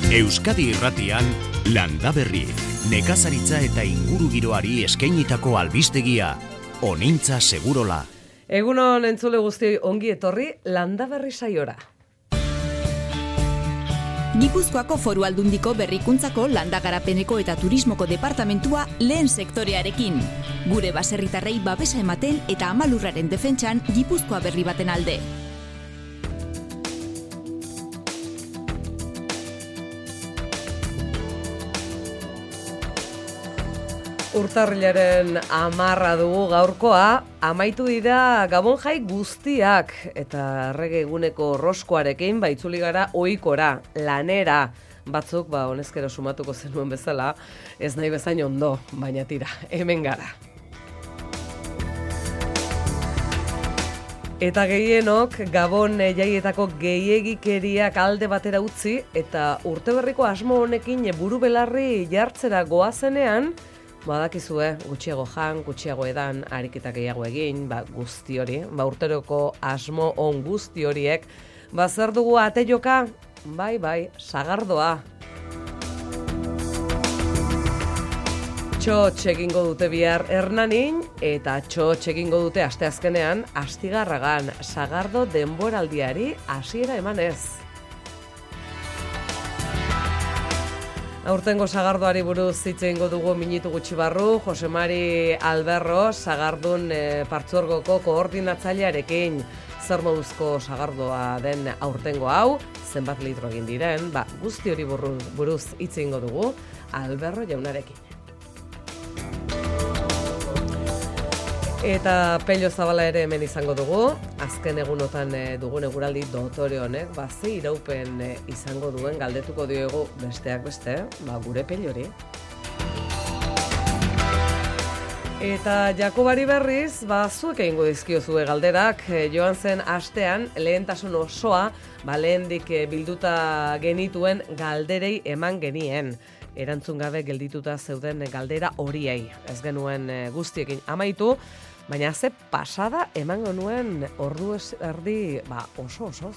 Euskadi Irratian, Landaberri, nekazaritza eta ingurugiroari eskainitako albistegia, Onintza Segurola. Egunon entzule guztioi ongi etorri Landaberri saiora. Gipuzkoako Foru Aldundiko Berrikuntzako Landagarapeneko eta Turismoko Departamentua lehen sektorearekin. Gure baserritarrei babesa ematen eta amalurraren defentsan Gipuzkoa berri baten alde. Urtarrilaren 10 dugu gaurkoa, amaitu dira Gabon jai guztiak eta errege eguneko roskoarekin baitzuli gara ohikora, lanera. Batzuk, honezkero sumatuko zenuen bezala, ez nahi bezain ondo, baina tira, hemen gara. Eta gehienok Gabon jaietako gehiegikeriak alde batera utzi eta urteberriko asmo honekin buru belarri jartzera goazenean, badakizue, gutxiago jan, gutxiago edan, ariketa gehiago egin, guzti hori, urteroko asmo on guzti horiek, zer dugu ate joka? Bai, sagardoa. Txotx egingo dute bihar Hernanin, eta txotx egingo dute asteazkenean, Astigarragan, sagardo denboraldiari hasiera emanez. Aurtengo sagardoari buruz hitz egingo dugu minutu gutxi barru, Jose Mari Alberro, sagardun partzuergoko koordinatzailearekin. Zer moduzko sagardoa den aurtengo hau, zenbat litro egin diren, guzti hori buruz hitz egingo dugu, Alberro jaunarekin. Eta Pello Zabala ere hemen izango dugu, azken egunotan dugun eguraldi dotore honek, ze iraupen izango duen galdetuko diogu besteak beste, gure Pellori. Eta Jakobari berriz, zuek egingo dizkiozue galderak, joan zen astean lehentasun osoa, lehendik bilduta genituen galderei eman genien. Erantzun gabe geldituta zeuden galdera horiei. Ez genuen guztiekin amaitu, baina ze pasada emango nuen ordu erdi oso-osoz.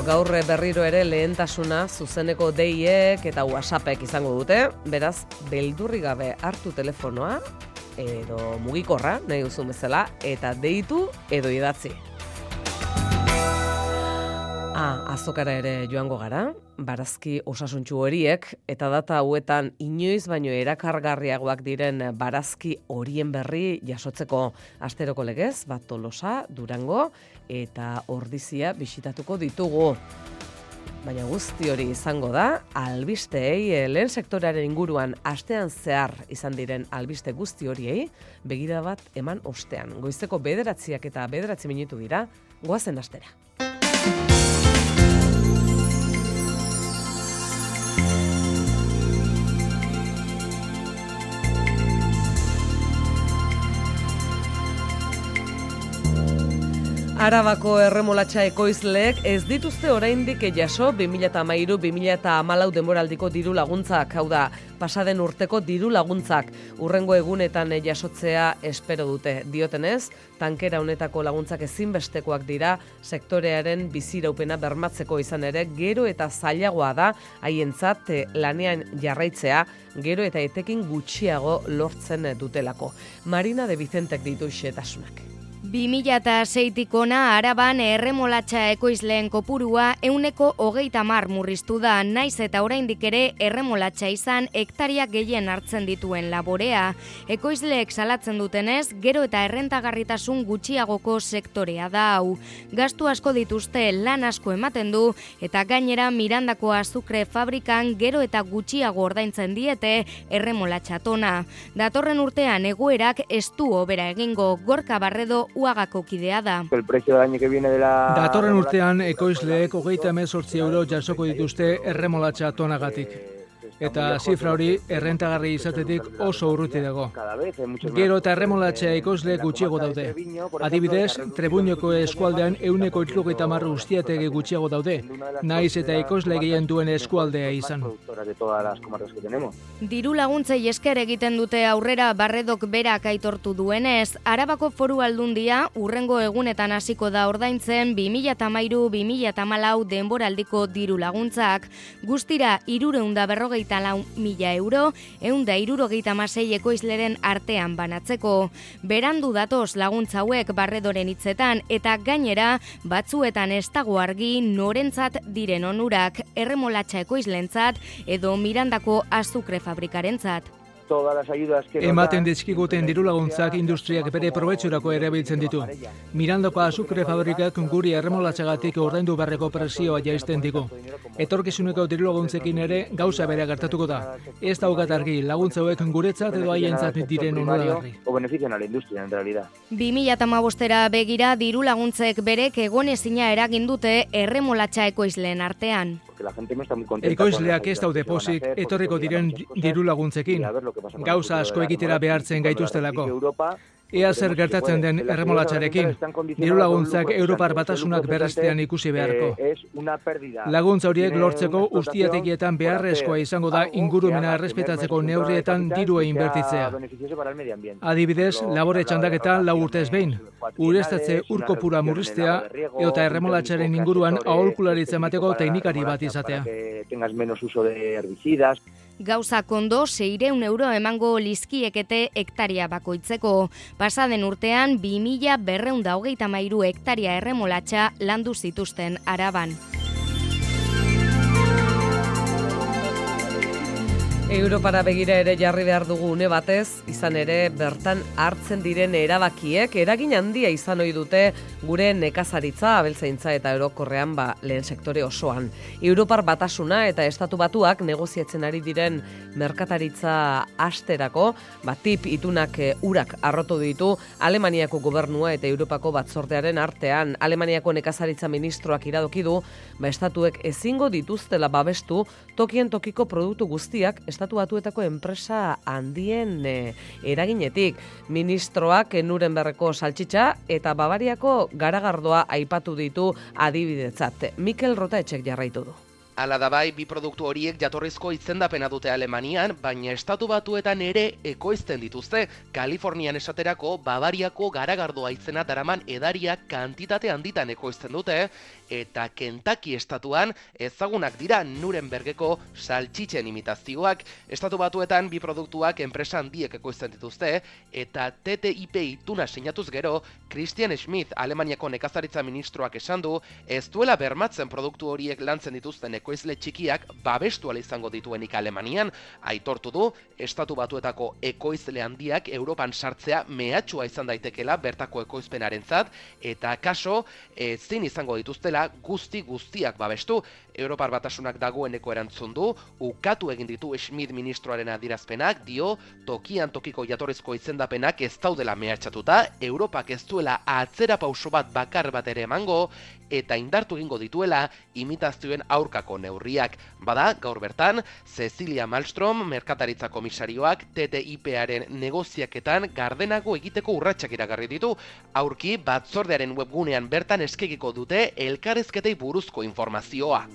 Gaur berriro ere lehentasuna zuzeneko deiek eta WhatsAppek izango dute, beraz, beldurri gabe hartu telefonoa, edo mugikorra, nahi duzun bezala, eta deitu edo idatzi. Azokara ere joango gara, barazki osasuntsu horiek, eta data hauetan inoiz baino erakargarriagoak diren barazki horien berri jasotzeko asteroko legez, Tolosa, Durango eta Ordizia bisitatuko ditugu. Baina guzti hori izango da, albisteei, lehen sektorearen inguruan astean zehar izan diren albiste guzti horiei, begira bat eman ostean. Goizeko 9 eta 9 minutu dira, goazen astera. Arabako erremolatxa ekoizleek ez dituzte oraindik jaso 2013-2014 denboraldiko diru laguntzak, hau da, pasaden urteko diru laguntzak, urrengo egunetan jasotzea espero dute. Diotenez, tankera honetako laguntzak ezinbestekoak dira sektorearen biziraupena bermatzeko, izan ere, gero eta zailagoa da haientzat lanean jarraitzea, gero eta etekin gutxiago lortzen dutelako. Marina de Vicentek ditu xetasunak. 2006-tik ona Araban erremolatxa ekoizleen kopurua 130 murriztu da, naiz eta oraindik ere erremolatxa izan hektaria gehien hartzen dituen laborea. Ekoizleek salatzen dutenez, gero eta errentagarritasun gutxiagoko sektorea da hau. Gastu asko dituzte, lan asko ematen du, eta gainera Mirandako azukre fabrikan gero eta gutxiago ordaintzen diete erremolatxa tona. Datorren urtean egoerak ez du hobera egingo, Gorka Barredo Uagako kidea da. Datorren urtean ekoizleek 38 € jasoko dituzte erremolatxa tonagatik. eta zifra hori errentagarri izatetik oso urruti dago. Gero eta erremolatxea ekoizle gutxiago daude. Adibidez, Trebuñoko eskualdean 170 ustiategi gutxiago daude, naiz eta ekoizle gehien duen eskualdea izan. Diru laguntzei esker egiten dute aurrera Barredok berak aitortu duenez, Arabako Foru Aldundia urrengo egunetan hasiko da ordaintzen 2013-2014 denboraldiko diru laguntzak. Guztira 354.000 euro, 176 ekoizleren artean banatzeko. Berandu datoz laguntza hauek Barredoren hitzetan eta gainera batzuetan ez dago argi norentzat diren onurak, erremolatxa ekoizlentzat edo Mirandako azukre fabrikarentzat. Ematen dizkiguten dirulaguntzak industriak bere probetxurako erabiltzen ditu. Mirandako azukre fabrikak guri erremolatxagatik ordaindu beharreko presioa jaisten digu. Etorkizuneko dirulaguntzekin ere gauza bere gertatuko da. Ez daukat argi laguntza hauek guretzat edo haientzat diren onuragarri. 2015era begira dirulaguntzek berek egonezina eragin dute erremolatxa ekoizleen artean. Ekoizleak ez daude pozik etorriko diren dirulaguntzekin. Gauza asko egitera behartzen gaituztelako. Ea zer gertatzen den erremolatxarekin, dirulaguntzak Europar Batasunak berrestean ikusi beharko. Laguntza horiek lortzeko ustiategietan beharrezkoa izango da ingurumena errespetatzeko neurrietan dirua inbertitzea. Adibidez, labore txandaketan 4 urtez behin, ureztatze urkopura murriztea eta erremolatxaren inguruan aholkularitza emateko teknikari bat izatea. Gauza kondo 600 euro emango lizkiekete hektaria bakoitzeko. Pasaden urtean 2233 hektaria erremolatxa landu zituzten Araban. Europara begira ere jarri behar dugu une batez, izan ere bertan hartzen diren erabakiek eragin handia izan ohi dute gure nekazaritza, abeltzaintza eta orokorrean lehen sektore osoan. Europar Batasuna eta Estatu Batuak negoziatzen ari diren merkataritza asterako, tip itunak urak arrotu ditu Alemaniako gobernua eta Europako batzordearen artean. Alemaniako nekazaritza ministroak iradoki du, estatuek ezingo dituztela babestu tokien tokiko produktu guztiak Estatu Batuetako enpresa handien eraginetik. Ministroak Nurembergeko saltxitxa eta Bavariako garagardoa aipatu ditu adibidetzat. Mikel Rotaetxek jarraitu du. Hala da bai, bi produktu horiek jatorrizko izendapena dute Alemanian, baina Estatu Batuetan ere ekoizten dituzte. Kalifornian esaterako Bavariako garagardoa izena daraman edariak kantitate handitan ekoizten dute, eta Kentucky estatuan ezagunak dira Nurembergeko saltxitzen imitazioak. Estatu Batuetan bi produktuak enpresa handiek ekoizten dituzte, eta TTIP ituna sinatuz gero, Christian Schmidt, Alemaniako nekazaritza ministroak esan du, ez duela bermatzen produktu horiek lantzen dituzten ekoizle txikiak babestu ala izango dituenik Alemanian. Aitortu du, Estatu Batuetako ekoizle handiak Europan sartzea mehatxua izan daitekela bertako ekoizpenarentzat, eta kaso ezin izango dituztela guztiak babestu. Europar Batasunak dagoeneko erantzun du, ukatu egin ditu Schmidt ministroaren adierazpenak, dio tokian tokiko jatorrizko izendapenak ez daudela mehatxatuta, Europak ez duela atzera pauso bat bakar bat ere emango, eta indartu egingo dituela imitazioen aurkako neurriak. Bada, gaur bertan, Cecilia Malmström, merkataritza komisarioak TTIP-aren negoziaketan gardenago egiteko urratsak iragarri ditu. Aurki, batzordearen webgunean bertan eskegiko dute elkarrizketei buruzko informazioa.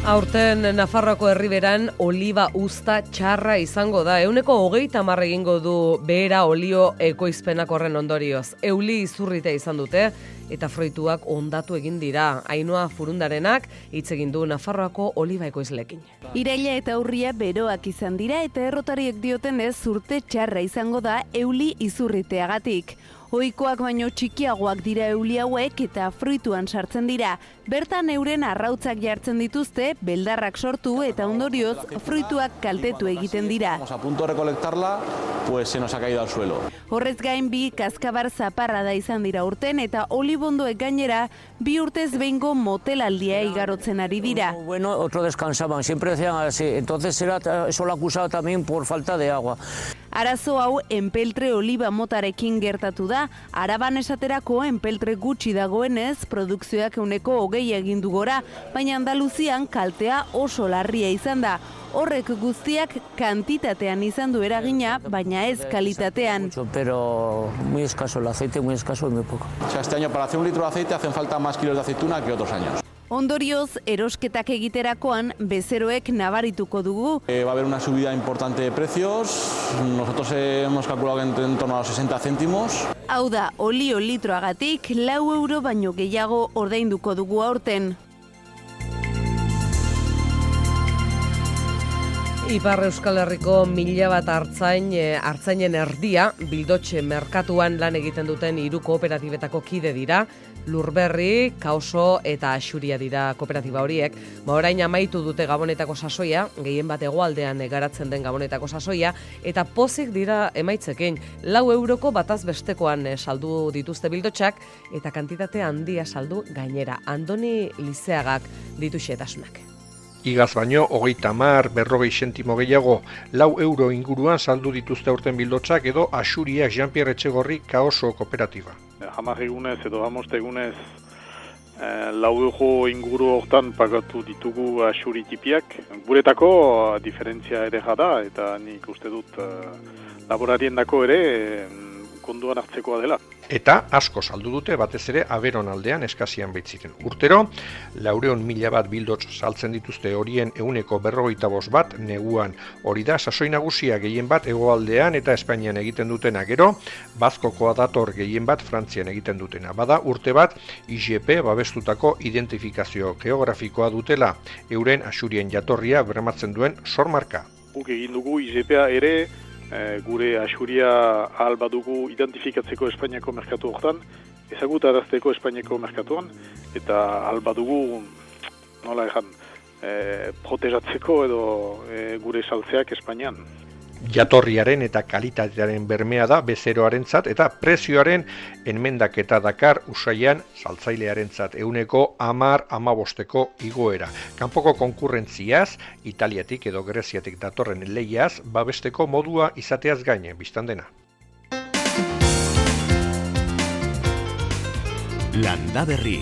Aurten Nafarroako herriberan oliba uzta txarra izango da. 130 egingo du behera olio ekoizpenak horren ondorioz. Euli izurrita izan dute eta fruituak ondatu egin dira. Ainhoa Furundarenak hitz egin du Nafarroako oliba ekoizleekin. Iraila eta urria beroak izan dira eta errotariek diotenez urte txarra izango da euli izurriteagatik. Ohikoak baino txikiagoak dira euli hauek eta fruituan sartzen dira. Bertan euren arrautzak jartzen dituzte, beldarrak sortu eta ondorioz fruituak kaltetu egiten dira. A punto de recolectarla, pues se nos ha caído al suelo. Horrez gain bi kaskabar zaparra da izan dira urten eta olibondoek gainera 2 urtez behingo motelaldia igarotzen ari dira. Bueno, otro descansaban, siempre decían así, entonces era eso lo acusado también por falta de agua. Arazo hau enpeltre oliba motarekin gertatu da. da, Araban esaterako enpeltre gutxi dagoenez, produkzioak 20% egin du gora, baina Andaluzian kaltea oso larria izan da. Horrek guztiak kantitatean izan du eragina, baina ez kalitatean. Pero muy escaso el aceite, muy escaso y muy poco. O sea, este año para hacer 1 litro de aceite hacen falta más kilos de aceituna que otros años. Ondorioz, erosketak egiterakoan bezeroek nabarituko dugu. Va a haber una subida importante de precios. Nosotros hemos calculado en torno a los 60 céntimos. Hau da, olio litroagatik 4 euro baino gehiago ordainduko dugu aurten. Ipar Euskal Herriko 1000 bat artzainen erdia Bildotxe merkatuan lan egiten duten 3 kooperatibetako kide dira. Lurberri, Kaoso eta Axuria dira kooperatiba horiek. Orain amaitu dute Gabonetako sasoia, gehien bat hegoaldean garatzen den Gabonetako sasoia, eta pozik dira emaitzekin. 4 euroko bataz bestekoan saldu dituzte Bildotxak, eta kantitate handia saldu gainera. Andoni Lizeagak ditu xehetasunak. Igaz baino, 30, 40 zentimo gehiago, 4 euro inguruan saldu dituzte aurten Bildotxak edo Axuriak Jean-Pierre Etxegorri Kaoso kooperatiba. 10 egunez edo 15 egunez 4 euro inguru hortan pagatu ditugu Axuri tipiak. Guretako diferentzia ere jada eta nik uste dut laborariendako ere konduan hartzekoa dela. Eta asko saldu dute batez ere Aberon aldean eskazian baitziren. Urtero, 400.000 bat Bildotx saltzen dituzte horien 145 bat neguan. Hori da, sasoi nagusia gehien bat hegoaldean eta Espainian egiten dutena, gero, Bazkokoa dator gehien bat Frantzian egiten dutena. Bada urte bat, IGP babestutako identifikazio geografikoa dutela, euren Axurien jatorria bermatzen duen sormarka. Guk egin dugu IGPa ere, gure Axuria ahal badugu identifikatzeko Espainiako merkatu hortan, ezagutarazteko Espainiako merkatuan, eta ahal badugu, nola ejan, protejatzeko edo gure saltzeak Espainian. Jatorriaren eta kalitatearen bermea da bezeroarentzat eta prezioaren enmendaketa dakar usaian saltzailearentzat 10-15 igoera. Kanpoko konkurrentziaz, Italiatik edo Greziatik datorren lehiaz, babesteko modua izateaz gaine, biztan dena. Landaberri,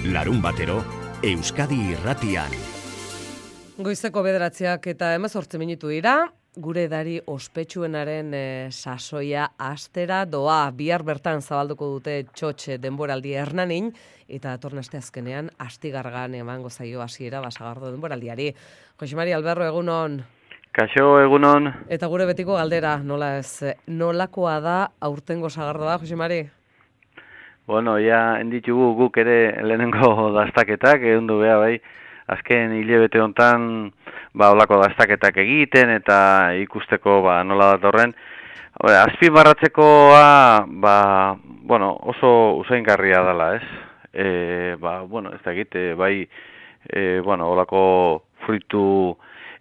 larun batero, Euskadi Irratian. Goizeko 9 eta 18 minutu dira. Gure edari ospetsuenaren sasoia astera doa. Bihar bertan zabalduko dute txotxe denboraldi Hernanin, eta datorren aste azkenean astigargan emango zaio hasiera Basagardo denboraldiari. Jose Mari Alberro, egunon. Kaixo, egunon. Eta gure betiko galdera, nola ez, nolakoa da aurtengo Sagardoa, Jose Mari? Bueno, ja enditugu guk ere lehenengo dastaketak, egundu beha bai, azken hilabete hontan olako dastaketak egiten eta ikusteko nola datorren. Azpimarratzekoa oso usaingarria dela, ez? Ez da egite, olako fruitu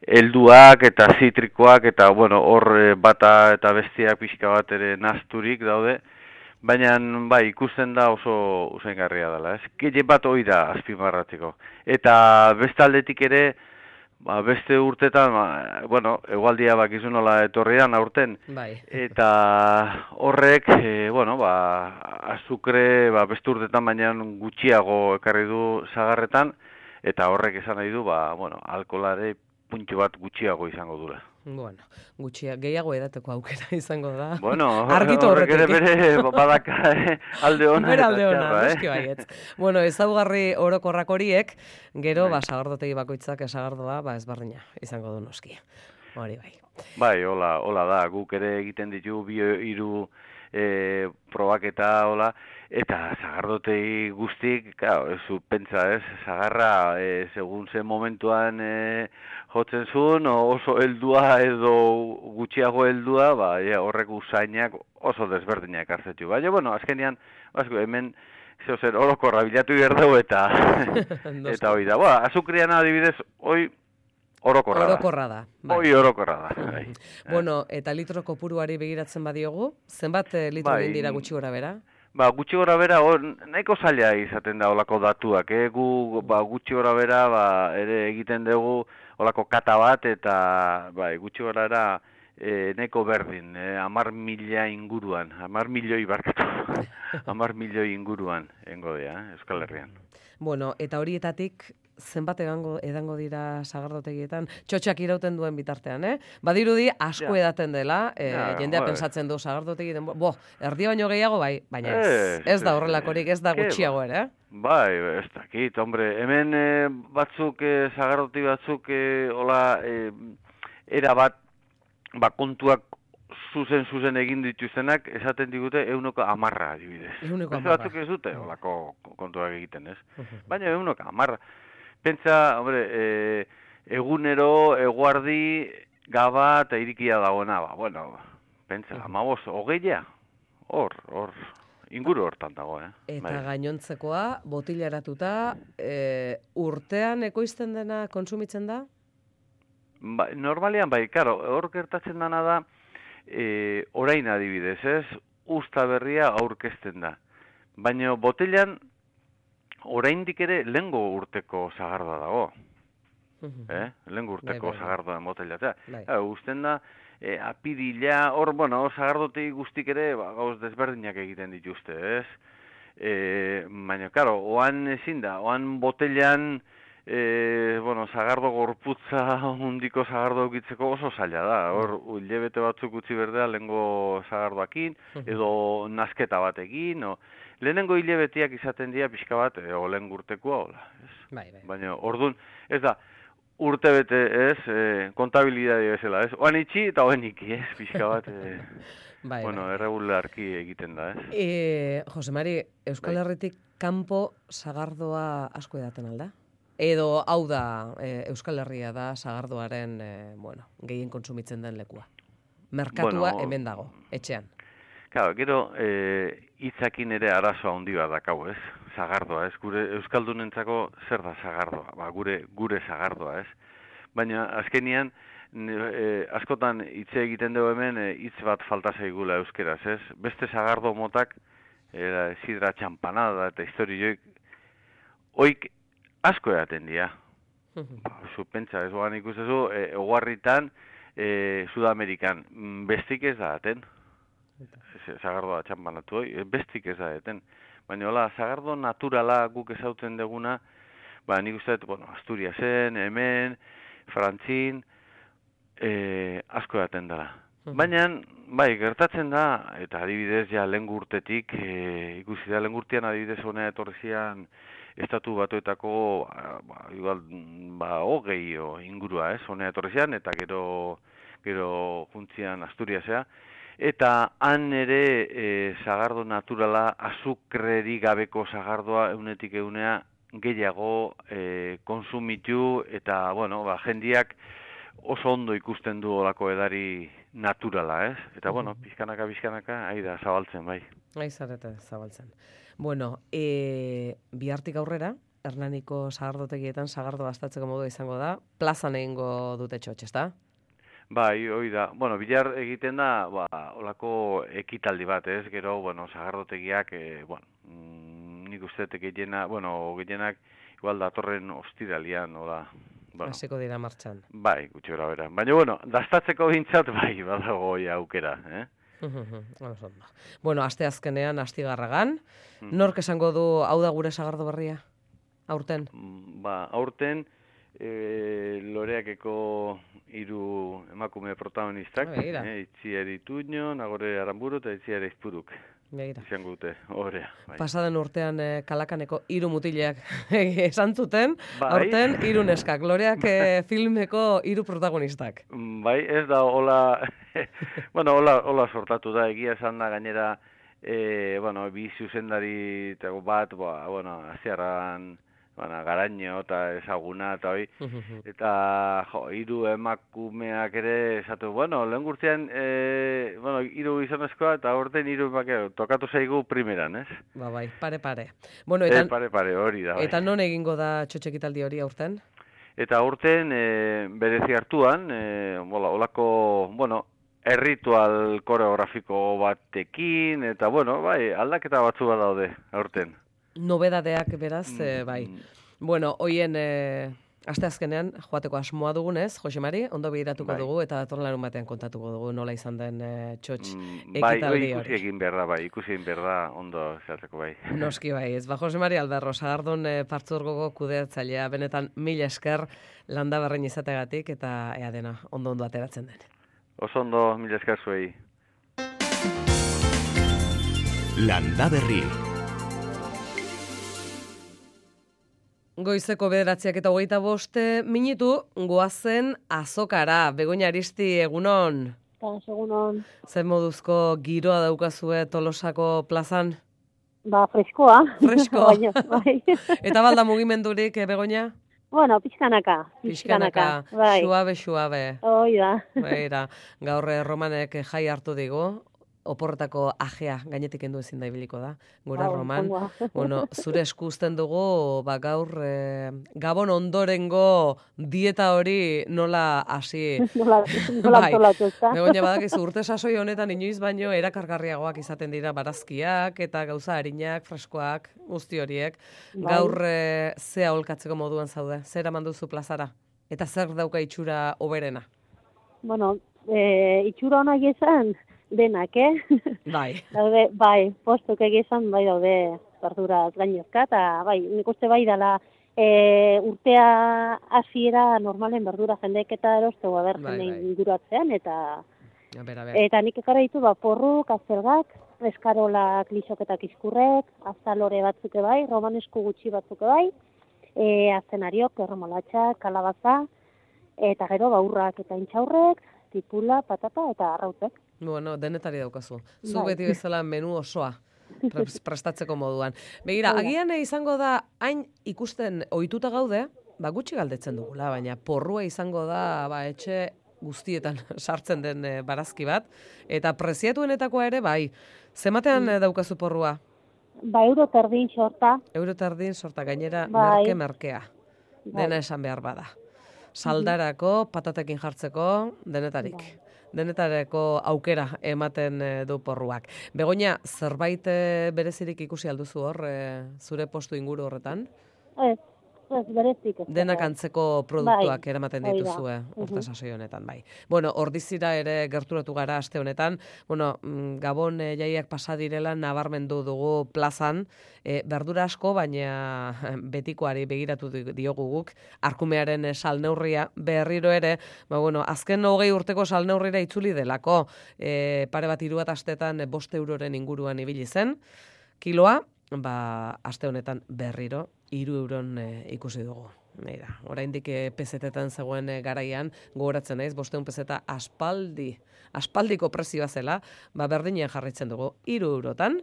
helduak eta zitrikoak eta hor bata eta bestiak pixka bat ere nazturik daude. Baina, ikusten da oso usaingarria dela, ez? Gehien bat hori da azpimarratzeko. Eta beste aldetik ere, beste urtetan, egualdia bakizu nola etorrian aurten. Eta horrek, azukre, beste urtetan baina gutxiago ekarri du sagarretan, eta horrek esan nahi du, alkoholare puntxo bat gutxiago izango dula. Bueno, gehiago edateko aukera izango da. Argitu horrek ere bere badaka alde hona. Bere alde hona, noski baietz. Ezaugarri orokorrak horiek, gero sagardotegi bakoitzak esagardoa ezberdina izango du noski. Hori bai. Bai, hola da, guk ere egiten ditu 2-3 probaketa, hola, eta sagardotegi guztik, ez pentsa, ez, sagarra, segun zen momentuan jotzen zuen, oso heldua edo gutxiago heldua, horrek usainak oso desberdinak hartzetu. Baina, azkenean, hemen, zer orokorra bilatu behar eta hori da. Azukrian adibidez, hoi orokorra da. Hoi orokorra da. Eta litro kopuruari begiratzen badiogu, zenbat litro dira gutxi gora bera? Gutxi gora bera, nahiko zaila izaten da olako datuak. Gu gutxi gora bera ere egiten dugu olako kata bat, eta gutxi gora bera neko berdin, 10.000 inguruan, 10 milioi barkatu, 10 milioi inguruan engodea, Euskal Herrian. Bueno, eta horietatik zenbat edango dira sagardotegietan, txotxak irauten duen bitartean, Badirudi asko edaten dela, jendea pensatzen du sagardotegi erdi baino gehiago bai, baina ez da horrelakorik, ez da gutxiago ere, Bai, ez dakit, hombre, hemen batzuk, sagardotegi batzuk, hola, era bat, kontuak zuzen egin dituztenak, esaten digute 110 adibidez. 110. Batzuk ez dute, holako kontuak egiten, ez? Baina 110. Pentsa, hombre, egunero, eguardi, gaba eta irikia dagoena, pentsa, 20, hor, inguru hortan dago, Eta gainontzekoa, botilaratuta, urtean ekoizten dena kontsumitzen da? Normalean bai, karo, hor gertatzen dana da, orain adibidez, ez? Usta berria aurkezten da. Baina botilan, oraindik ere lehengo urteko sagardoa dago. Lehengo urteko sagardoa botilatea. Usten da, apirila, hor, sagardotegi guztik ere, gauz desberdinak egiten dituzte, ez? Baina, karo, oan ezin da, oan botilan, sagardo gorputza hundiko sagardo eukitzeko oso zaila da. Hor, hilabete batzuk utzi berdea lehengo sagardoakin, edo nasketa batekin, lehenengo hilabeteak izaten dira pixka bat, lehen urtekoa, hola. Baina, orduan, ez da, urte bete, ez, kontabilidade bezala, ez? Oan itxi eta oen iki, ez, pixka bat, erregularki egiten da, ez? Jose Mari, Euskal Herritik kanpo sagardoa asko edaten alda? Edo hau da Euskal Herria da sagardoaren, gehien kontsumitzen den lekua? Merkatua hemen dago, etxean. Claro, gero, hitzakin ere arazoa handi bat dakau, ez? Sagardoa, ez? Gure euskaldunentzako zer da sagardoa? Gure sagardoa, ez? Baina, azkenian, askotan hitze egiten dugu hemen, hitz bat falta zaigula euskeraz, ez? Beste sagardo motak, sidra txampanada eta historioik, oik asko edaten dira. Pentsa, ez oan ikustezu, ogarritan, Sudamerikan, bestik ez da daten. Sagardoa txampanatu hoi, bestik ez da daten. Baina, hola, sagardo naturala guk ezautzen deguna, nik uste, Asturiasen, hemen, Frantzin, asko edaten dela. Baina, gertatzen da, eta adibidez, lehen urtetik, ikusi da, lehen urtean adibidez honea etorrezian, Estatu Batuetako, igual, 20 ingurua, honea etorrezian, eta gero juntzian Asturiasea, eta han ere sagardo naturala, azukreri gabeko sagardoa eunetik eunea gehiago konsumitu, eta, jendiak oso ondo ikusten du olako edari naturala, ez? Eta, pizkanaka, ahi da, zabaltzen, bai. Ahi zarete, zabaltzen. Bihartik aurrera, Hernaniko sagardotegietan sagardo bastatzeko modu izango da, plazan egingo dute txotx, ezta? Bai, hoi da. Bihar egiten da, olako ekitaldi bat, ez? Gero, sagardotegiak, nik uste gehienak, igual datorren ostiralian, hola. Hasiko dira martxan. Bai, gutxi bera. Baina, dastatzeko bintzat, bai, badago aukera, aste azkenean, astigarragan, nork esango du hau da gure sagardo berria? Aurten? Aurten, Loreakeko 3 emakume protagonistak, Itziar Ituño, Nagore Aramburu eta Itziar Izpuruk. Izango dute, horrea. Pasaden urtean Kalakaneko 3 mutileak esan zuten, aurten 3 neskak, Loreak filmeko 3 protagonistak. Bai, ez da, hola sortatu da, egia esan da gainera, bi zuzendari bat, aziarran, Garaño eta ezaguna eta hoi, eta 3 emakumeak ere esatu, lehen gurtzean 3 gizonezkoa eta aurten 3 emakumeak tokatu zaigu primeran, ez? Bai, pare. Pare, hori da. Eta non egingo da txotxekitaldi hori aurten? Eta aurten berezi hartuan, olako, erritual koreografiko batekin, eta aldaketa batzu bat daude aurten. Nobedadeak beraz, bai. Hoien Asteazkenean joateko asmoa dugunez, Jose Mari, ondo begiratuko dugu eta datorren larun batean kontatuko dugu nola izan den txotx ekitaldi hori. Ikusi egin behar da, ondo zehatzeko bai. Noski bai, ez Jose Mari Alberro, Sagardun partzuergoko kudeatzailea, benetan 1000 esker landa berrein izategatik eta ea dena ondo ateratzen den. Oso ondo, 1000 esker zuei. Landa berri. Goizeko 9:25 minutu goazen azokara. Begoña Aristi, egunon. Egunon. Zer moduzko giroa daukazue Tolosako plazan? Freskoa. Fresko. Bai. Eta balda mugimendurik, Begoña? Bueno, pixkanaka. Bai. Suabe. Hoi da. Baira, gaur Romanek jai hartu digu. Oporretako ajea gainetik kendu ezin da ibiliko da. Gura Roman. Bueno, zure eskusten dugu, gaur Gabon ondorengo dieta hori nola hasi. Nola antolatu, ezta? Begoña badakizu urte sasoi honetan inoiz baino erakargarriagoak izaten dira barazkiak eta gauza harinak, freskoak, guzti horiek. Gaur ze aholkatzeko moduan zaude? Zer eraman duzu plazara? Eta zer dauka itxura hoberena? Bueno, itxura honak izan denak, Bai. Daude, postuk egizan, daude verduraz gainezka, eta nik uste dela urtea hasiera normalen verdura jendeek eta erostegu jende inguratzean, eta nik ekara ditu porruk, azelgak, eskarolak, lisoketak izkurrek, azalore batzuk romanesku gutxi batzuk azenariok, erremolatxak, kalabaza, eta gero urrak eta intxaurrek, tipula, patata eta arrautzek. Bueno, denetari daukazu. Zu beti bezala menu osoa prestatzeko moduan. Begira, agian izango da, hain ikusten ohituta gaude, gutxi galdetzen dugula, baina porrua izango da etxe guztietan sartzen den barazki bat, eta preziatuenetakoa ere, zematean daukazu porrua? €1 sorta. €1 sorta, gainera merkea. Dena esan behar bada. Saldarako, patatekin jartzeko, denetarik. Denetareko aukera ematen du porruak. Begoña, zerbait berezirik ikusi alduzu hor, zure postu inguru horretan? Ez berezik. Denak antzeko produktuak eramaten dituzue urte sasoi honetan, Bueno, ordizira ere gerturatu gara aste honetan. Bueno, Gabon jaiak pasa direla nabarmendu dugu plazan, berdura asko, baina betikoari begiratu diogu guk, arkumearen salneurria berriro ere, azken 20 urteko salneurrira itzuli delako, pare bat 3 astetan 5 euroren inguruan ibili zen, kiloa, aste honetan berriro 3 euron ikusi dugu. Oraindik pesetetan zegoen garaian, gogoratzen naiz, 500 peseta aspaldiko prezioa zela, berdinean jarraitzen dugu 3 eurotan.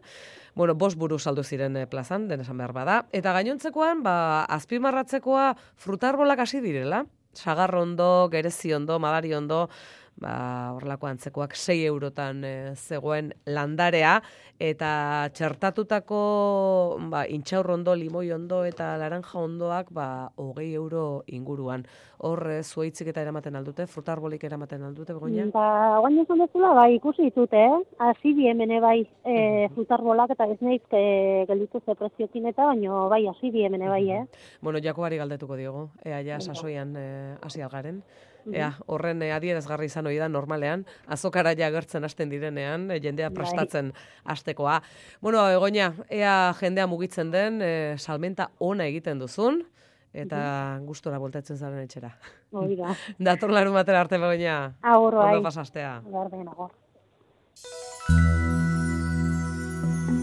Bueno, 5 buru saldu ziren plazan, denesan behar bada. Eta gainontzekoan, azpimarratzekoa frutarbolak hasi direla. Sagarrondo, gereziondo, madariondo, horrelako antzekoak 6 eurotan zegoen landarea, eta txertatutako intxaurrondo, limoi ondo eta laranja ondoak 20 euro inguruan. Hor zuaitzik eta eramaten aldute, frutarbolik eramaten aldute, Begoña? Oain esan dezula, ikusi ditute, hasi biemene frutarbolak, eta ez nahiz gelditu ze preziokin eta, baino hasi biemene Bueno, Jakobari galdetuko diogu, ja sasoian hasi algaren. Horren adierazgarri izan hori da normalean, azokara ja agertzen hasten direnean, jendea prestatzen hastekoa. Bueno, Begoña, ea jendea mugitzen den, salmenta ona egiten duzun, eta gustora voltatzen zaren etxera. Hori da. Dator larun batera arte, Begoña. Agur, ondo pasastea.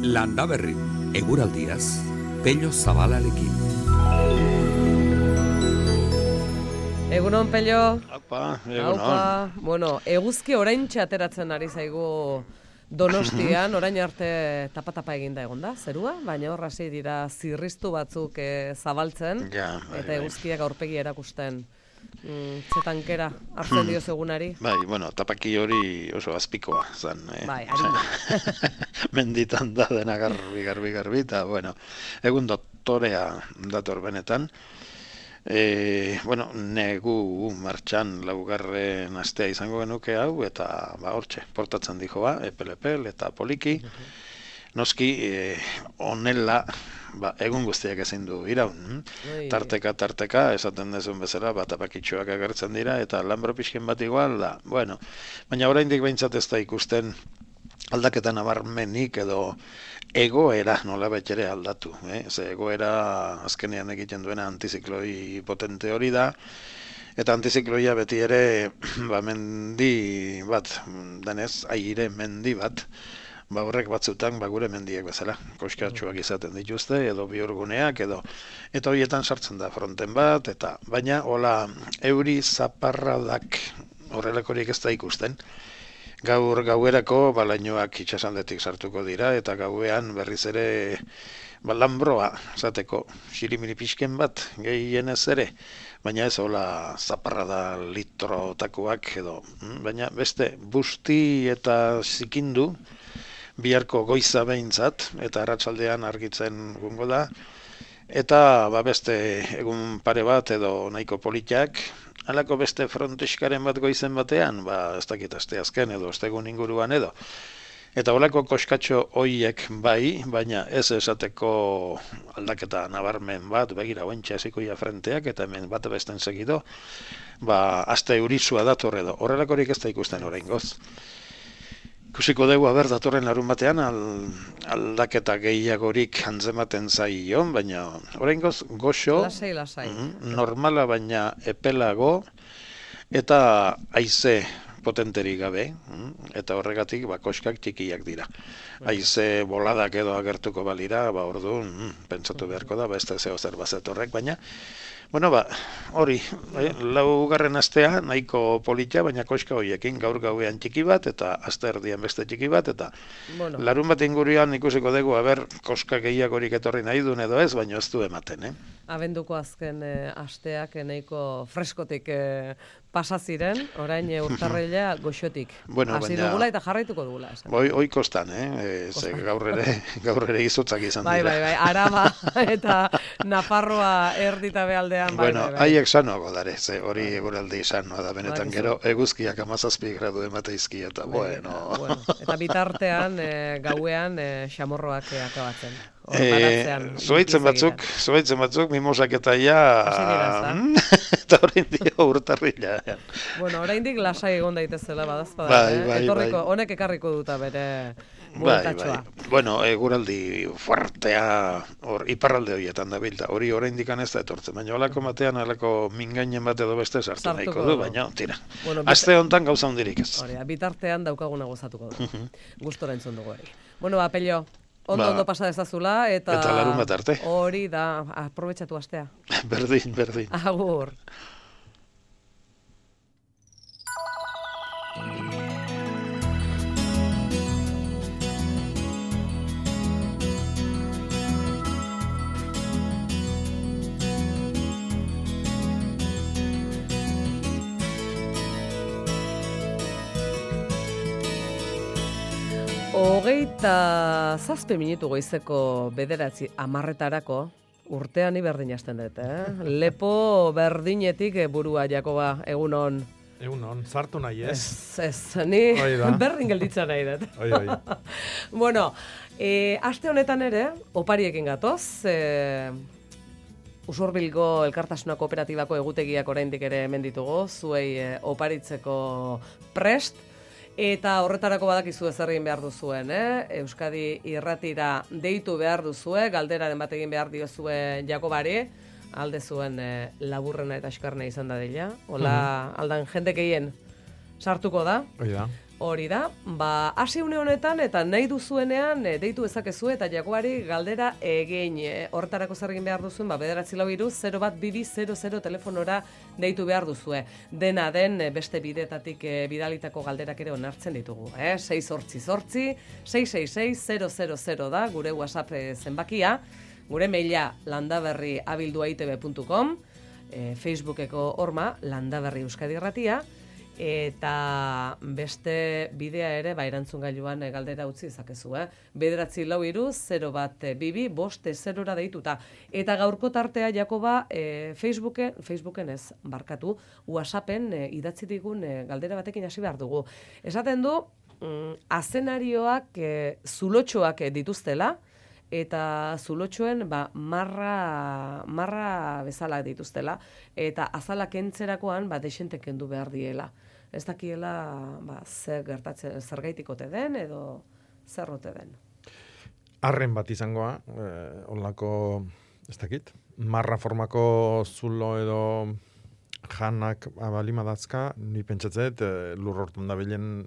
Landa berri, eguraldiaz, Pello Zabalarekin. Egunon, Pello. Aupa. Bueno, eguzki oraintxe ateratzen ari zaigu Donostian, orain arte tapa eginda egonda, zerua, baina horra hasi dira zirriztu batzuk zabaltzen, eta eguzkiak aurpegi erakusten. Zetankera hartzen dio egunari? Tapaki hori oso azpikoa zen. Harina. Menditan da dena garbi, eta, egun doktorea dator benetan. Negu martxan 4. astea izango genuke hau, eta hortxe, portatzen dijoa, epel eta poliki. noski onela egun guztiak ezin du iraun. Tarteka, esaten dezun bezala, tapakitxoak agertzen dira, eta lanbro pixken bat igual da. Bueno, baina oraindik behintzat ez da ikusten aldaketa nabarmenik edo egoera nolabait ere aldatu. Ze egoera azkenean egiten duena antizikloi potente hori da, eta antizikloia beti ere mendi bat, denez, aire mendi bat, horrek batzutan gure mendiek bezala, koskatxuak izaten dituzte, edo bihurguneak, eta horietan sartzen da fronten bat, eta baina hola euri zaparradak horrelakorik ez da ikusten. Gauerako balainoak itxasaldetik sartuko dira, eta gauean berriz ere lanbroa, zateko, xirimiri pixken bat, gehienez ere, baina ez hola zaparrada litrotakoak edo, baina beste busti eta zikindu, biharko goiza behintzat, eta arratsaldean argitzen gungo da, eta beste egun pare bat edo nahiko politak, halako beste fronteskaren bat goizen batean, ez dakit asteazken edo astegun inguruan edo. Eta holako koskatxo hoiek bai, baina ez esateko aldaketa nabarmen bat, begira oentxe hasikoia frenteak, eta hemen bat besten segido, aste eurizua dator edo, horrelakorik ez da ikusten oraingoz. Ikusiko dugu, datorren larun batean aldaketa gehiagorik antzematen zaion, baina oraingoz goxo, lasai. Normala baina epelago, eta haize potenterik gabe, eta horregatik koskak txikiak dira. Haize boladak edo agertuko balira, orduan pentsatu beharko da, ez da zeo zer bazet horrek, baina hori, laugarren astea nahiko polita, baina koska horiekin gaur gauean txiki bat, eta aste erdian beste txiki bat, eta larun bat inguruan ikusiko dugu, koska gehiagorik etorri nahi duen edo ez, baina ez du ematen, Abenduko azken asteak nahiko freskotik pasa ziren, orain urtarrila goxotik. Hasi dugula eta jarraituko dugula. Hoi kostan, gaur ere izotzak izan dira. Bai, Araba eta Nafarroa erdita bealdean. Haiek sanoago dare, hori eguraldi sanoa da benetan gero, eguzkiak 17 gradu emateizki eta Eta bitartean gauean xamorroak akabatzen. Zuaitzen batzuk, mimosak eta eta orain dio urtarrila. Oraindik lasai egon daitezela badazpada. Etorriko, honek ekarriko duta bere bueltatxoa. Eguraldi fuertea iparralde horietan da bilda. Hori oraindik ez da etortzen, baina holako batean, holako mingainen bat edo beste sartu nahiko du, baina tira. Aste hontan gauza hundirik ez. Bitartean daukaguna gozatuko du. Gustora entzun dugu hori. Pello, ondo pasa dezazula, eta larun bat arte. Hori da, aprobetxatu astea. Berdin. Agur. Hogeita 7 minutu goizeko 9:10 urtean berdin hasten dut, Lepo berdinetik burua, Jakoba, egunon. Egunon, sartu nahi, ez? Ez, ni berdin gelditzen nahi dut. Aste honetan ere, opariekin gatoz, Usurbilgo Elkartasuna Kooperatibako egutegiak oraindik ere hemen ditugu, zuei oparitzeko prest, eta horretarako badakizu zer egin behar duzuen, Euskadi Irratira deitu behar duzue, galderaren bat egin behar diozue Jakobari, alde zuen laburrena eta eskarna izan da dela. Hola, aldan jende gehien sartuko da. Hori da. Hasi une honetan eta nahi duzuenean deitu ezakezue eta Jakobari galdera egin. Horretarako zer egin behar duzuen, 943-01200 telefonora deitu behar duzue. Dena den beste bidetatik bidalitako galderak ere onartzen ditugu. 688-666-000 da gure WhatsApp zenbakia. Gure maila landaberri@itb.com, Facebookeko horma Landaberri Euskadi Irratia, eta beste bidea ere erantzungailuan galdera utzi dezakezu, 943-01200 deituta. Eta gaurko tartea, Jakoba, Facebooken ez, barkatu, WhatsAppen idatzi digun galdera batekin hasi behar dugu. Esaten du, azenarioak zulotxoak dituztela, eta zulotxoen marra bezala dituztela, eta azalak entzerakoan desente kendu behar diela. Ez dakiela zer gertatzen, zergaitik ote den, edo zer ote den. Arren bat izangoa, olako, ez dakit, marra formako zulo edo janak abalimadatzka, ni pentsatzet lur hortan da bilen...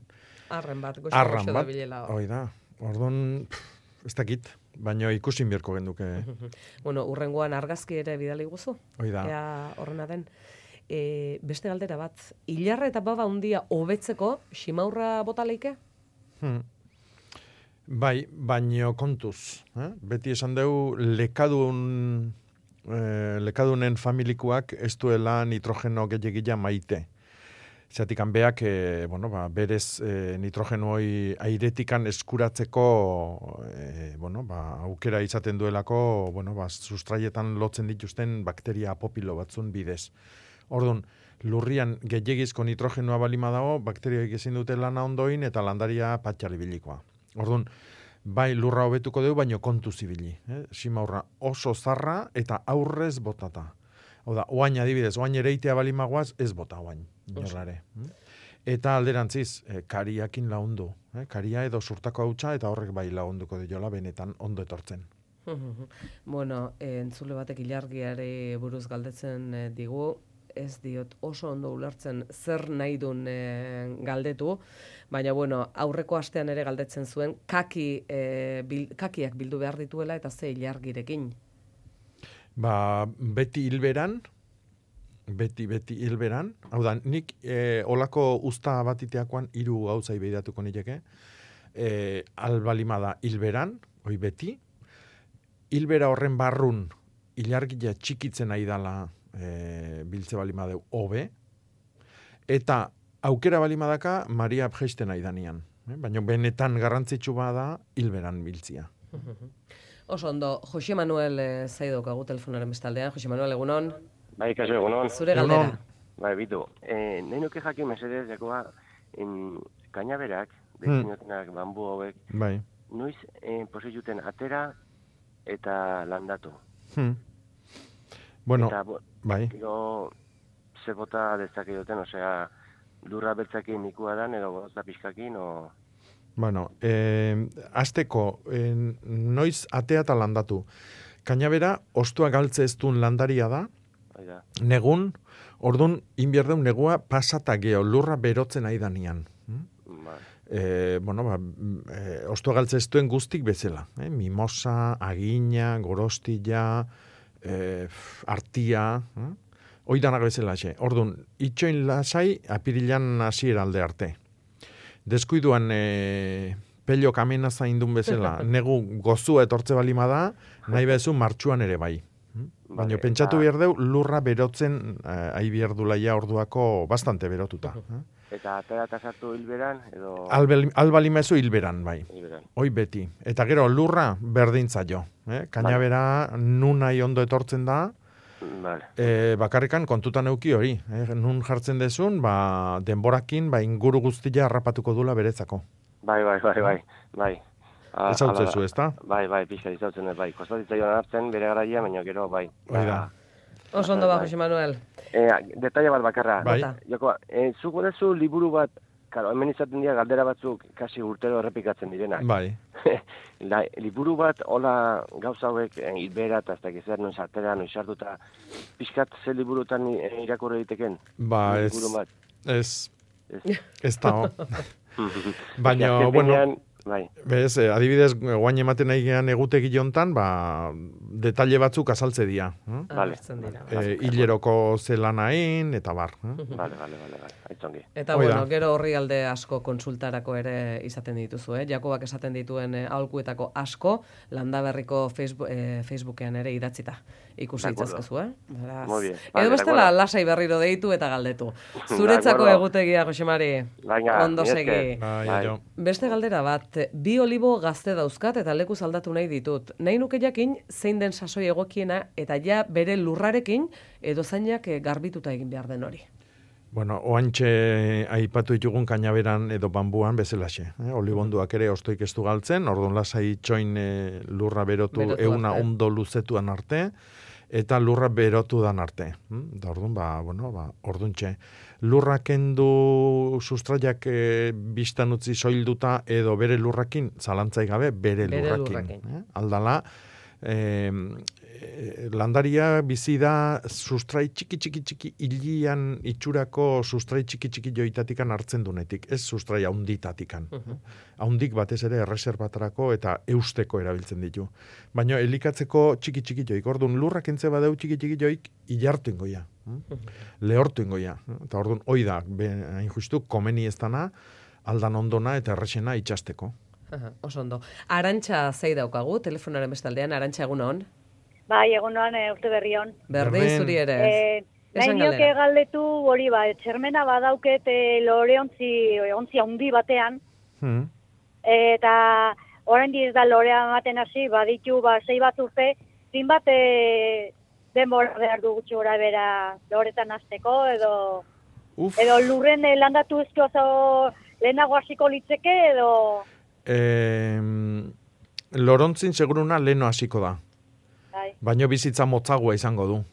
Arren bat, goxo da bilela. Hoi da, orduan, ez dakit, baina ikusin bierko genduke. Bueno, urrengoan argazki ere bidali guzu. Hoi da. Ea horrena den. Beste galdera bat, hilarra eta baba hundia hobetzeko simaurra bota leike? Bai, baino kontuz. Beti esan dugu lekadunen familikuak ez duela nitrogeno gehiagia maite. Zatik hanbeak, berez nitrogeno hori airetikan eskuratzeko aukera izaten duelako, sustraietan lotzen dituzten bakteria apopilo batzun bidez. Orduan, lurrian gehiagizko nitrogenoa balima dago, bakterioek ezin dute lana ondoin eta landaria patxali bilikoa. Orduan, bai lurra hobetuko dugu, baino kontu zibili. Simaurra oso zarra eta aurrez botata. Oda, oain adibidez, oain ereitea balimagoaz, ez bota oain, inorrare. Eta alderantziz, kariakin laundu. Karia edo surtako hautsa eta horrek bai launduko diola benetan ondo etortzen. Bueno, entzule batek ilargiare buruz galdetzen digu, ez diot oso ondo ulertzen zer nahi duen galdetu, baina aurreko astean ere galdetzen zuen kakiak bildu behar dituela eta ze ilargirekin. Beti hilberan, hau da, nik olako usta batiteakoan 3 gauzai behiratuko nireke, albalimada hilberan, hoi beti, hilbera horren barrun ilargia txikitzen nahi dala biltze balimadeu hobe, eta aukera balimadaka Maria abjeisten nahi danian. Baina benetan garrantzitsu bada hilberan biltzia. Oso ondo, Jose Manuel zaidokagu telefonaren bestaldean. Jose Manuel, egunon? Bai, kaso, egunon. Zure galdera. Bai, bitu. Nahi nuke jakin mesedez, jakoa, kainaberak, destinotenak bambu hauek, noiz posizuten atera eta landatu. Bueno, bai. Gero, ze bota dezake duten, osea, lurra beltzakin nikua dan, edo bota pixkakin, o... Bueno, azteko, noiz atea eta landatu. Kainabera, ostua galtze ez duen landaria da, negun, orduan, inbierdeun negua pasata geho, lurra berotzen nahi danian. Ostua galtze ez duen guztik bezala. Mimosa, agina, gorostilla, artia, oidanak bezala xe. Orduan, itxoin lasai, apirilan hasiera alde arte. Deskuiduan pello kamena zaindun bezala, negu gozua etortze balima da, nahi bezu martxuan ere bai. Baina pentsatu behar deu, lurra berotzen ahi behar dulaia orduako bastante berotuta. Eta atera eta sartu hilberan, edo... Albalima ezu hilberan, bai. Hoi beti. Eta gero lurra berdintza jo. Kainabera nun nahi ondo etortzen da, bakarrikan kontutan euki hori. Nun jartzen dezun, denborakin, inguru guztia harrapatuko dula berezako. Bai. Ez hau zezu, ez da? Bai, pixka izautzen dut, bai. Kostatitza joan hartzen, bere garaia, baina gero, bai. Oso ondo Jose Manuel. Detaila bat bakarra. Bai. Joko, zuko dezu liburu bat, karo, hemen izaten dira galdera batzuk kasi urtero errepikatzen direnak. Bai. Liburu bat, hola gauza hauek, hilbera eta ez da gizer, noiz artera, noiz hartuta, pixkat ze liburutan irakurre diteken? Ez da, baina, bueno, bez, adibidez, guain ematen nahi gehan egutegi jontan, detalle batzuk azaltze dira. Hileroko zelanain, eta bar. Vale, aitzongi. Eta, gero horri alde asko konsultarako ere izaten dituzu, Jakobak esaten dituen aholkuetako asko, Landaberriko Facebookean ere idatzita. Ikusi itzazkezu, Edo bestela lasai berriro deitu eta galdetu. Zuretzako egutegia, Josemari. Ondo segi. Beste galdera bat, 2 olibo gazte dauzkat eta lekuz aldatu nahi ditut. Nahi nuke jakin zein den sasoi egokiena eta ja bere lurrarekin edo zainak garbituta egin behar den hori. Bueno, oantxe aipatu ditugun kainaberan edo bambuan bezalaxe. Olibonduak ere ostoik ez du galtzen, orduan lasai itxoin lurra berotu euna ondo luzetuan arte, eta lurra berotu dan arte. Da orduan, orduntxe. Lurra kendu sustraiak biztan utzi soilduta edo bere lurrakin, zalantzai gabe bere lurrakin. Aldala, landaria bizi da sustrai txiki hilian itxurako sustrai txiki joitatikan hartzen dunetik, ez sustrai haunditatikan. Haundik batez ere erreserbatarako eta eusteko erabiltzen ditu. Baina elikatzeko txiki joik, orduan lurrak entze badeu txiki joik ilartu ingoia. Lehortu ingoia. Eta orduan hoi da, hain justu, komeni ez dana, aldan ondona eta errexena itxasteko. Oso ondo. Arantxa zei daukagu, telefonaren bestaldean, Arantxa egun hon? Bai, egunoan urte berri hon. Berdin zuri ere. Nahi nioke galdetu hori txermena badauket loreontzi handi batean. Eta orain ez da lorea ematen hasi, baditu 6 bat urte, zinbat denbora behar du gutxi gora bera loretan hasteko edo lurren landatu ezko lehenago hasiko litzeke edo... Lorontzin seguruna leheno hasiko da. Baina bizitza motzagoa izango du.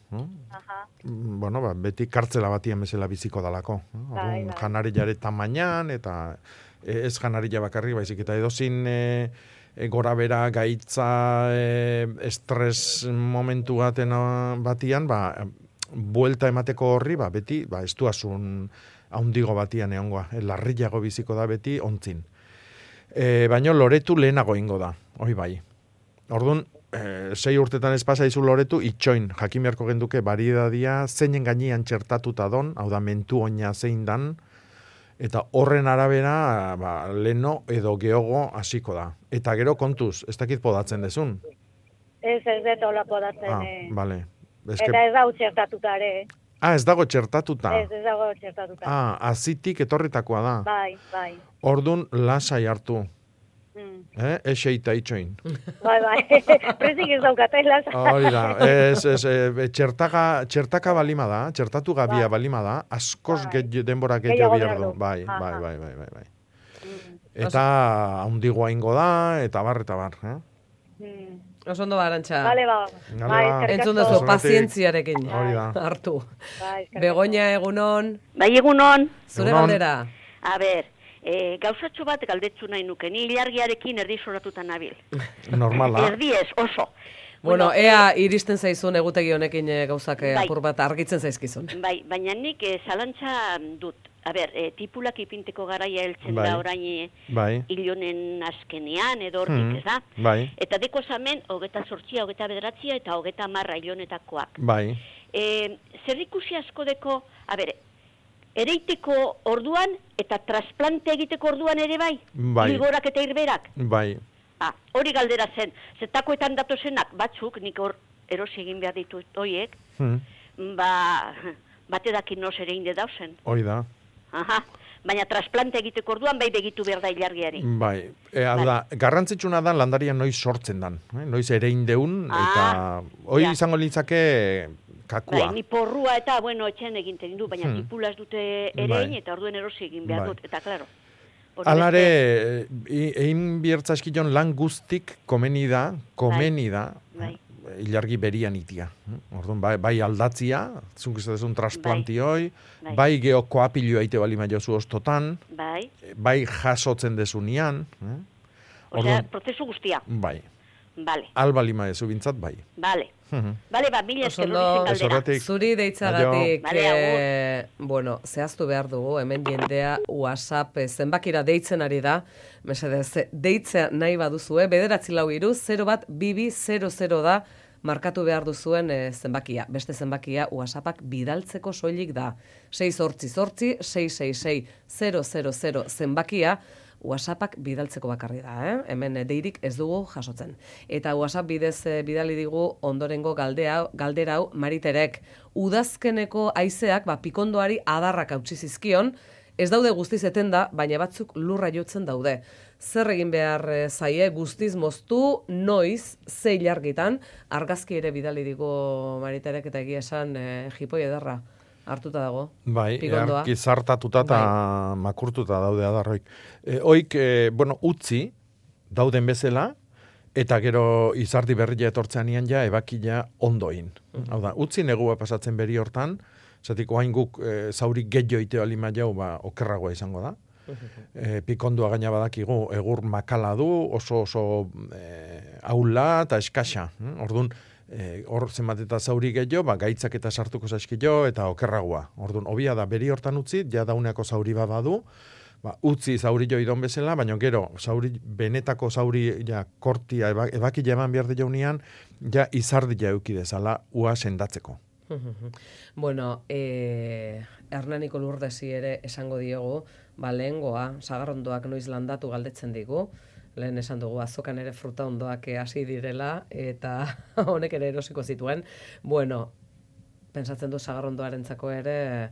Bueno, beti kartzela batien bezala biziko dalako. Janariare tamainan, eta ez janarila bakarri, baizik eta edozin gora bera gaitza estres momentu batian, buelta emateko horri, beti, ez duazun haundigo batian egongoa. Larriago biziko da beti ontzin. Baina loretu lehenago ingo da, hoi bai. Orduan, 6 urtetan ez pasa izu loretu, itxoin, jakimiarko genduke bariedadia, zeinen gainean txertatuta don, hau da mentu oina zein dan, eta horren arabera, leno edo geogo hasiko da. Eta gero kontuz, ez dakit podatzen dezun? Ez dut hola podatzen. Vale. Eta ez dago txertatuta ere. Ez dago txertatuta? Ez dago txertatuta. Azitik etorritakoa da. Bai. Ordun lasai hartu. Eseita itxoin. Bai. Prezik ez daukatai lasai. Hori da. Txertaka balima da, txertatu gabia balima da, askoz denbora gehiago behar du. Bai. Eta haundigoa ingo da, eta bar. Oso ondo Arantxa. Bale, entzun duzu, pazientziarekin hartu. Begoña, egunon. Bai, egunon. Zure galdera. A ber, gauzatxo bat galdetzu nahi nuke, ni ilargiarekin erdi soratuta nabil. Normala. Erdi ez, oso. Bueno, ea iristen zaizun egutegi honekin gauzak apur bat argitzen zaizkizun. Bai, baina nik zalantza dut. A ber, tipulak ipinteko garaia heltzen da orain hilonen askenean, edo hortik, ez da? Bai. Eta deko zamen, 28, 29 eta 30 hilonetakoak. Bai. Zer ikusi asko deko, a ber, ereiteko orduan eta trasplante egiteko orduan ere bai? Bai. Ligorak eta irberak? Bai. Hori galdera zen, zetakoetan datozenak batzuk, nik hor erosi egin behar ditut hoiek, bate dakin noz ere inde dauzen. Hoi da. Baina trasplante egiteko orduan bai begitu behar da ilargiari. Bai, garrantzitsuna da landaria noiz sortzen dan, noiz ere indeun, eta hoi izango lintzake kakua. Bai, ni porrua eta, etxean eginten du, baina tipulaz dute erein, eta orduen erosi egin behar dut, eta klaro. Alare, egin biertza eskillon lan guztik komeni da, ilargi berian itia. Orduan, bai aldatzia, zunkizatezun trasplantioi, bai geokoapilioa ite balima jozu ostotan, bai jasotzen desunean. Osea, prozesu guztia. Bai. Vale. Albalima ezu bintzat, bai. Vale. Bale, mila eskerro dizen kaldera. Zuri deitzagatik, zehaztu behar dugu, hemen jendea WhatsApp zenbakira deitzen ari da, mesedez, deitzea nahi baduzue, 944-01200 da, markatu behar duzuen zenbakia. Beste zenbakia WhatsAppak bidaltzeko soilik da. 688-666-000 zenbakia, WhatsAppak bidaltzeko bakarri da, hemen deirik ez dugu jasotzen. Eta WhatsApp bidez bidali digu ondorengo galdera hau Mariterek. Udazkeneko haizeak pikondoari adarrak hautsi zizkion, ez daude guztiz etenda, baina batzuk lurra jotzen daude. Zer egin behar zaie guztiz moztu, noiz, ze ilargitan, argazki ere bidali digu Mariterek eta egia esan jipoi ederra. hartuta dago. Bai, pikondoa. Zartatuta eta makurtuta daude adarroik. Oik, utzi, dauden bezala, eta gero izardi berria etortzean ian ja, ebakila ondoin. Hau da, utzi negua pasatzen beri hortan, zatik oain guk zauri gehiago alima jau, okerragoa izango da. Pikondua gaina badakigu, egur makala du, oso aula eta eskasa. Orduan, hor zenbat eta zauri gehiago, gaitzak eta sartuko zaskilo eta okerragoa. Orduan, obia da, beri hortan utzi, ja dauneako zauri bat badu, utzi zauri jo idon bezala, baina gero, benetako zauri ja, kortia ebakila eman behar de jaunian, ja izardia eukidezala ua sendatzeko. Bueno, Hernaniko Lurdesi ere esango diogu, lehengoa, sagarrondoak noiz landatu galdetzen digu, lehen esan dugu azokan ere fruta ondoak hasi direla, eta honek ere erosiko zituen. Bueno, pentsatzen du sagarrondoarentzako ere,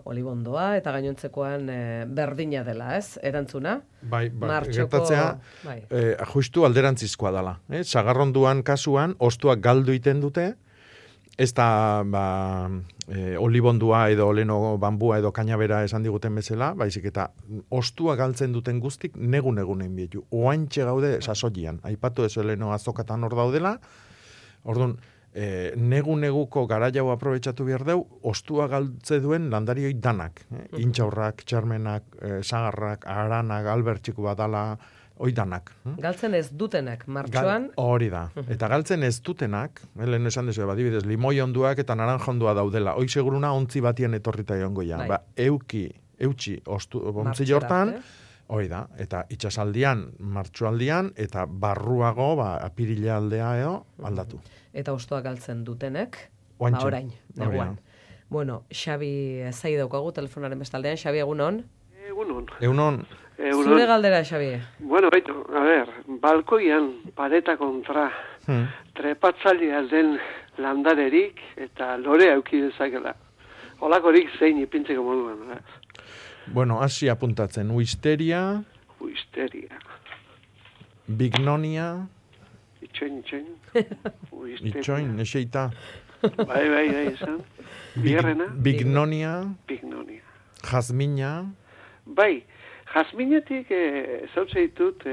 olibondoa, eta gainontzekoan berdina dela, ez? Erantzuna? Bai, gertatzea, justu alderantzizkoa dela. Sagarrondoan kasuan, ostuak galdu iten dute, ez da olibondua edo oleno bambua edo kainabera esan diguten bezala, baizik eta ostua galtzen duten guztik negun-egunen bietu. Oaintxe gaude sasoian. Aipatu ez oleno azokatan hor daudela, orduan, neguko garaiau aprobetxatu behar deu, ostua galtze duen landarioi danak. Intxaurrak, txarmenak, sagarrak, aranak, albertxiku badala, oidanak. Galtzen ez dutenak, martxoan? Hori da. Eta galtzen ez dutenak, lehen esan dezu, badibidez, limoi onduak eta naranja ondua daudela. Hoi seguruna ontzi batien etorrita joango ja. Eutxi, ontzi jortan, hori da. Eta itxasaldian, martxoaldian, eta barruago, apirila aldea aldatu. Eta ostoak galtzen dutenek, orain, neguan. Bueno, Xabi zai daukagu telefonaren bestaldean. Xabi, egunon? Egunon. Zure galdera, Xabi. Bueno, baitu, balkoian pareta kontra trepatzaile alden landarerik eta lore auki dezakela. Olakorik zein ipintzeko moduan. Bueno, hasi apuntatzen. Uisteria. Bignonia. Itxoin, eseita. Bai, esan. Bierrena. Bignonia. Jazmina. Bai, jazminetik zautze ditut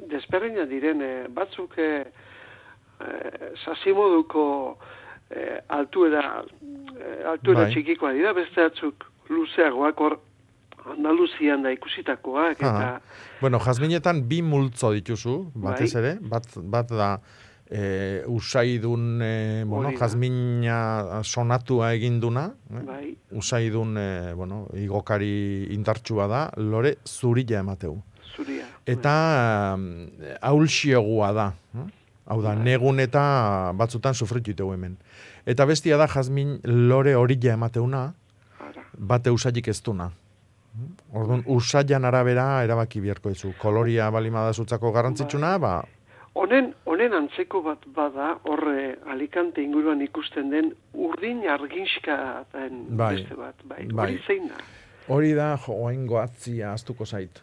desperreina diren batzuk sasimoduko altuera txikikoa dira, beste batzuk luzeagoak hor Andaluzian da ikusitakoak. Bueno, jazminetan bi multzo dituzu, batez ere, bat da usaidun, jazmina sonatua eginduna, usaidun, igokari indartsua da, lore zurila emateu. Eta aulxiogua da, hau da, negun eta batzutan sufritu itegu hemen. Eta bestia da jazmin lore horila emateuna, bate usailik ez duna. Orduan, usailan arabera erabaki biharko ezu. Koloria balima da zutzako garrantzitsuna, Honen antzeko bat bada, horre Alicante inguruan ikusten den urdin arginska beste bat. Hori zein da? Hori da, oain goatzia astuko zait.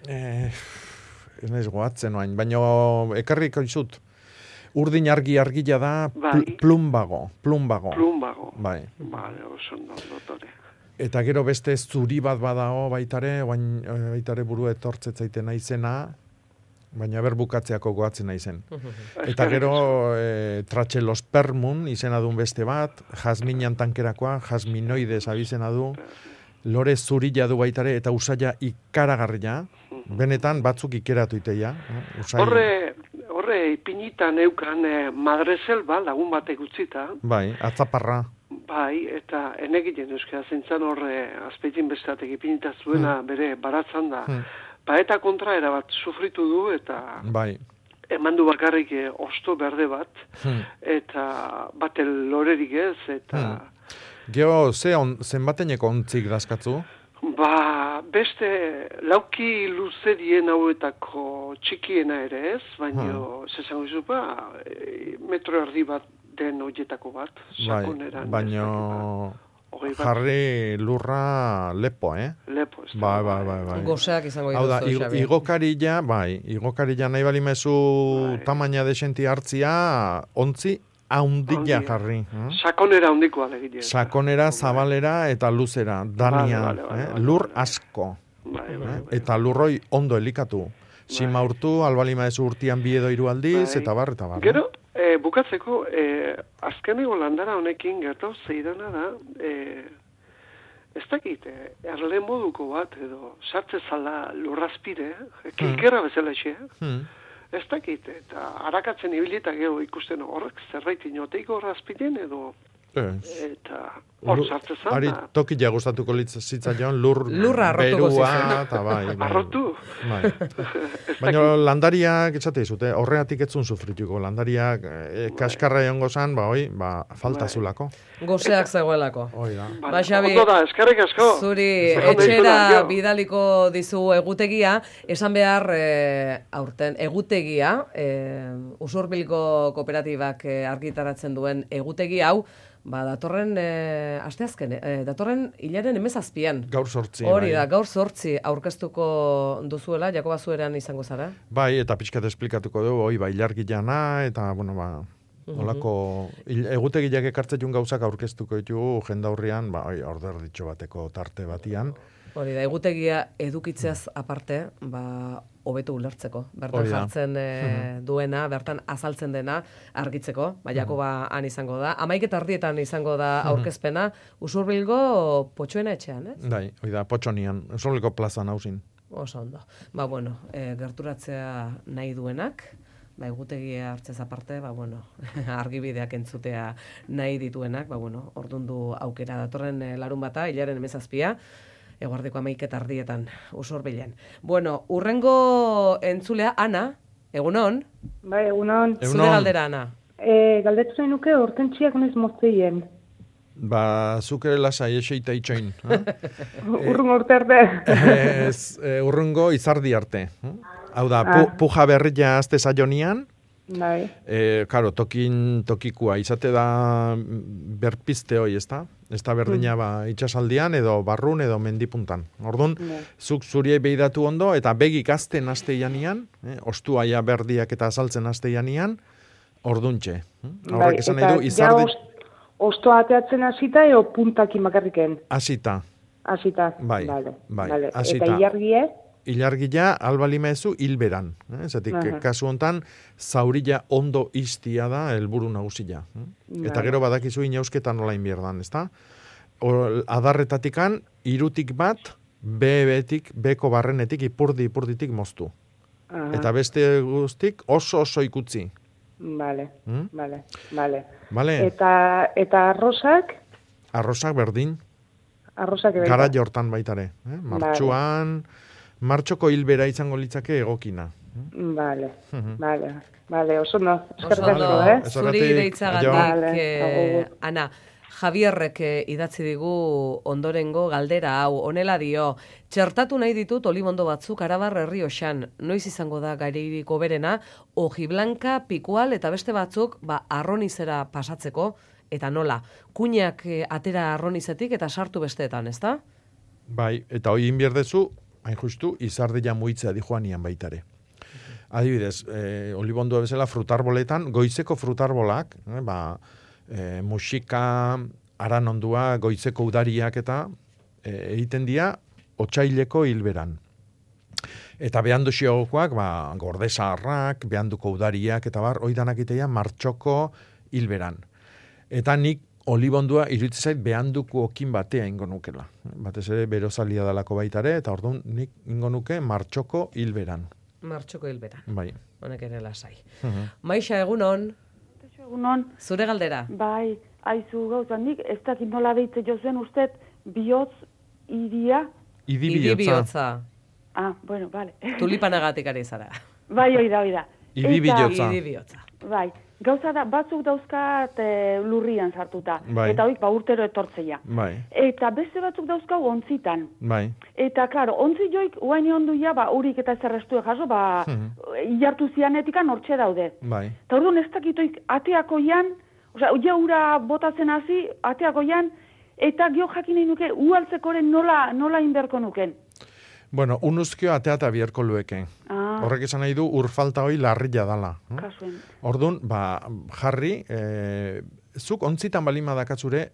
Ez nahiz goatzen oain, baina ekarriko izut. Urdin argia da plumbago. Bai. Vale, oso dotore. Eta gero beste zuri bat badao baitare buru etortzetzaiten naizena, baina berbukatzeako goatzen naizen. Eta gero Trachelospermum izena duen beste bat, jazminan tankerakoa, jazminoides abizena du, lore zurila du baitare, eta usaila ikaragarria, benetan batzuk ikeratu iteia. Horre ipinitan eukan Madreselba, lagun batek utzita. Bai, atzaparra. Bai, eta enegiten euskara zentzan horre azpeitin bestatek ipinita zuena bere baratzan da. Eta kontra erabat sufritu du eta eman du bakarrik osto berde bat eta bate lorerik ez eta... Geo, zenbateneko ontzik dazkatzu? Beste lauki luzerien hauetako txikiena ere ez, baina zezango izu metro erdi bat den horietako bat. Baina jarri lurra lepo, Lepo, ez da. Bai. Goseak izango dituzu, Xabi. Hau da, igokarilla nahi balimezu tamaina desenti hartzia, ontzi haundila jarri. Sakonera haundikoa legile. Sakonera, zabalera eta luzera, danian, lur asko. Eta lurroi ondo elikatu. Simaurtu, albalima ez urtian bi edo 3 aldiz, eta bar. Gero, bukatzeko, azkeneko landara honekin gertau zeidana da, ez dakit, erle moduko bat, edo sartze zala lurrazpire, kilkerra bezala xe, ez dakit, eta harakatzen ibilitak geho ikusten horrek zerbait inoteiko razpiden edo eta hor sartze zala. Ari tokila gustatuko zitzaion lurra berua, eta bai. Arrotu. Baina landariak, etxate izute, horreatik etzun sufrituko, landariak kaskarra egongo zan, falta zulako. Gozeak zegoelako. Ba, Xabi, eskerrik asko. Zuri etxera bidaliko dizu egutegia, esan behar aurten egutegia, Usurbilgo kooperatibak argitaratzen duen egutegi hau, datorren asteazken, datorren hilaren 17an. Gaur 8. Hori da, gaur 8 aurkeztuko duzuela, Jakoba Zueran izango zara? Bai, eta pixkat esplikatuko du, ilargilana, eta, olako, egutegiak ekartzetun gauzak aurkeztuko ditugu jendaurrian, order ditxo bateko tarte batian. Hori da, egutegia edukitzeaz aparte, hobetu ulertzeko. Bertan jartzen duena, bertan azaltzen dena argitzeko, Jakoba han izango da. 11:00 izango da aurkezpena, Usurbilgo Potxoena etxean, ez? Bai, hori da, Potxonian, Usurbilgo plazan hausin. Oso ondo. Gerturatzea nahi duenak, egutegia hartzez aparte, argibideak entzutea nahi dituenak, ordundu aukera datorren larun bata, hilaren 17a, eguardeko 11:30 Usurbilen. Urrengo entzulea, Ana, egunon? Bai, egunon. Zure galdera, Ana? Galdetu zain nuke, hortentziak noiz mozteien. Zuke lasai eseita itxoin. Urrungo urte arte. Urrungo izardi arte. Hau da, puja berria azte zaionian, Karo, tokikua, izate da berpizte hoi, ez da? Ez da berdina itxasaldian, edo barrun, edo mendipuntan. Orduan, zuk zuriei behidatu ondo, eta begik azten azte janian, ostuaia berdiak eta azaltzen azte janian, orduntxe. Horrek esan nahi du, izardi... Ostoa ateatzen hasita, edo puntakin makarriken? Hasita. Hasita, bai. Eta ilargie? Ilargia albalima ezu hilberan. Zatik, kasu hontan, zaurila ondo iztia da helburu nagusia. Eta gero badakizu inausketan nola inbierdan, ez da? Adarretatikan, 3 bat, beko barrenetik, ipurditik moztu. Eta beste guztik oso ikutzi. Vale. Eta arrosak? Arrosak berdin. Arrosak berdin. Gara jortan baitare. Martxuan... Martxoko hilbera izango litzake egokina. Vale, oso no. Zuri deitzagatik, Ana, Javierrek idatzi digu ondorengo galdera hau, honela dio, txertatu nahi ditut olibondo batzuk Arabar Errioxan, noiz izango da gaireiriko berena, Ojiblanka, Pikual eta beste batzuk arronizera pasatzeko, eta nola, kuinak atera arronizetik eta sartu besteetan, ez da? Bai, eta hoi inbierdezu, hain justu, izardila muitzea di joanian baitare. Adibidez, olibondua bezala frutarboletan, goizeko frutarbolak, musika, aranondua, goizeko udariak eta egiten dira otsaileko hilberan. Eta behandu xiogokoak, gordezaharrak, behanduko udariak eta oidanak iteia martxoko hilberan. Eta nik olibondua iruditzen zait behanduko okin batea ingo nukela. Batez ere berozalia dalako baitare, eta orduan nik ingo nuke martxoko hilberan. Martxoko hilberan. Bai. Honek ere lasai. Maixa, egunon? Egunon. Zure galdera? Bai, aizu gauza, nik ez dakit nola deitze jozen ustez bihotz idia? Idi bihotza. Bueno, vale. Tulipanagatik ari zara. Bai, oida. Idi bihotza. Bai. Gauza da, batzuk dauzkat lurrian sartuta. Bai. Eta hoik urtero etortzeia. Bai. Eta beste batzuk dauzkau ontzitan. Bai. Eta, klaro, ontzi joik, uaini onduia, urik eta zerrestue jaso, ilartu zianetikan hortxe daude. Bai. Eta orduan ez dakitoik ateakoian, ura botatzen hasi, ateakoian, eta gio jakin nahi nuke, ualtzekoren nola inberko nuken. Bueno, unuzkio ateata biherko lueke. Horrek esan nahi du urfalta hoi larria dala. Kasuen. Orduan, jarri, zuk ontzitan balima dakatzure,